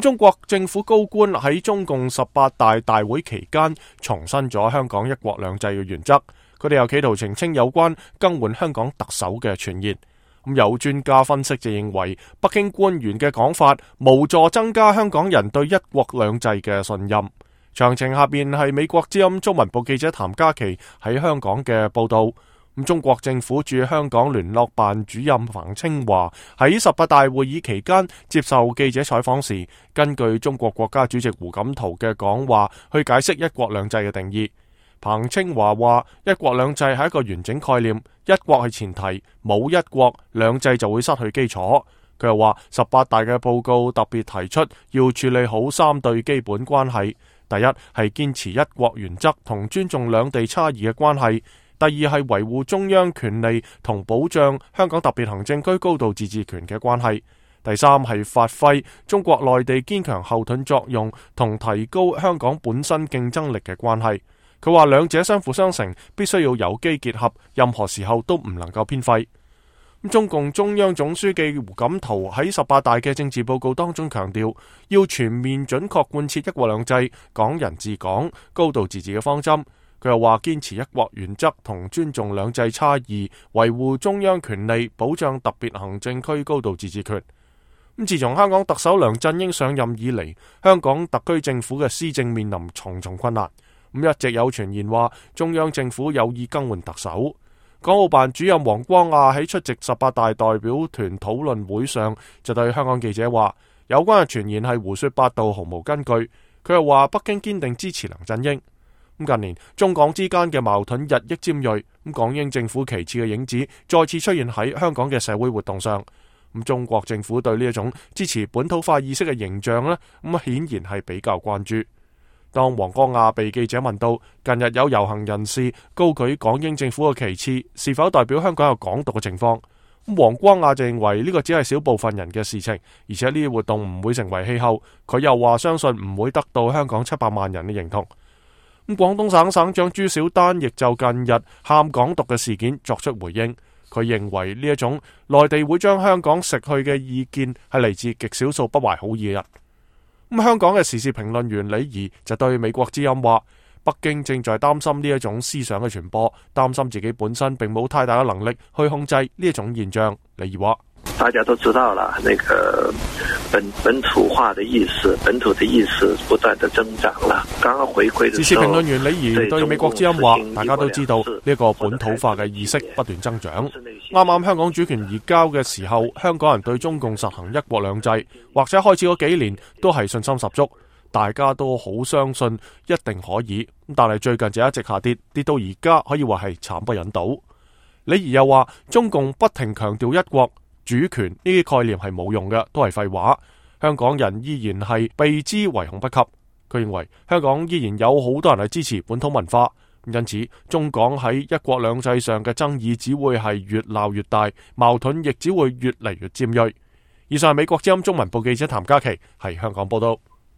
中國政府高官喺中共18大大會期間重申咗香港一國兩制嘅原則，佢哋又企圖澄清有關更換香港特首嘅傳言。有專家分析就認為，北京官員嘅講法無助增加香港人對一國兩制嘅信任。詳情下邊係美國之音中文部記者譚嘉琪喺香港嘅報道。中國政府駐香港聯絡辦主任彭清華喺18大會議期間接受記者採訪時，根據中國國家主席胡錦濤嘅講話去解釋一國兩制嘅定義。彭清華話：一國兩制係一個完整概念，一國係前提，冇一國兩制就會失去基礎。佢又話18大嘅報告特別提出要處理好3對基本關係，第一係堅持一國原則同尊重兩地差異嘅關係。第二係維護中央權力同保障香港特別行政區高度自治權嘅關係。第三係發揮中國內地堅強後盾作用同提高香港本身競爭力嘅關係。佢話兩者相輔相成，必須要有機結合，任何時候都唔能夠偏廢。中共中央總書記胡錦濤喺18大嘅政治報告當中強調，要全面準確貫徹一國兩制、港人治港、高度自治嘅方針。佢又話堅持一國原則同尊重兩制差異，維護中央權力，保障特別行政區高度自治權。自從香港特首梁振英上任以嚟，香港特區政府嘅施政面臨重重困難。一直有傳言話中央政府有意更換特首。港澳辦主任黃光亞喺出席18大代表團討論會上就對香港記者話，有關嘅傳言係胡說八道，毫無根據。佢又話北京堅定支持梁振英。近年中港之間嘅矛盾日益尖銳，港英政府旗幟嘅影子再次出現喺香港嘅社會活動上。中國政府對呢一種支持本土化意識嘅形象呢，顯然係比較關注。當黃光亞被記者問到近日有遊行人士高舉港英政府嘅旗幟，是否代表香港有港獨嘅情況，黃光亞就認為呢個只係小部分人嘅事情，而且呢啲活動唔會成為氣候。佢又話相信唔會得到香港700萬人嘅認同。廣東省省長朱小丹亦就近日喊港獨嘅事件作出回應，佢認為呢一種內地會將香港食去嘅意見係嚟自極少數不懷好意嘅人。香港嘅時事評論員李儀就對美國之音話，北京正在擔心呢一種思想嘅傳播，擔心自己本身並冇太大嘅能力去控制呢一種現象。李儀話：大家都知道了，那個本土化的意識，本土的意識不斷的增長了。剛剛回歸的時候，時事評論員李儀對美國之音話，大家都知道呢個本土化嘅意識不斷增長。啱啱香港主權移交嘅時候，香港人對中共實行一國兩制，或者開始嗰幾年都係信心十足，大家都好相信一定可以。但係最近就一直下跌，跌到而家可以話係慘不忍睹。李儀又話，中共不停強調一國主權呢啲概念係冇用嘅，都係廢話。香港人依然係避之唯恐不及。佢認為香港依然有好多人係支持本土文化，因此中港喺一國兩制上嘅爭議只會係越鬧越大，矛盾亦只會越嚟越尖銳。以上係美國之音中文部記者譚嘉琪喺香港報道。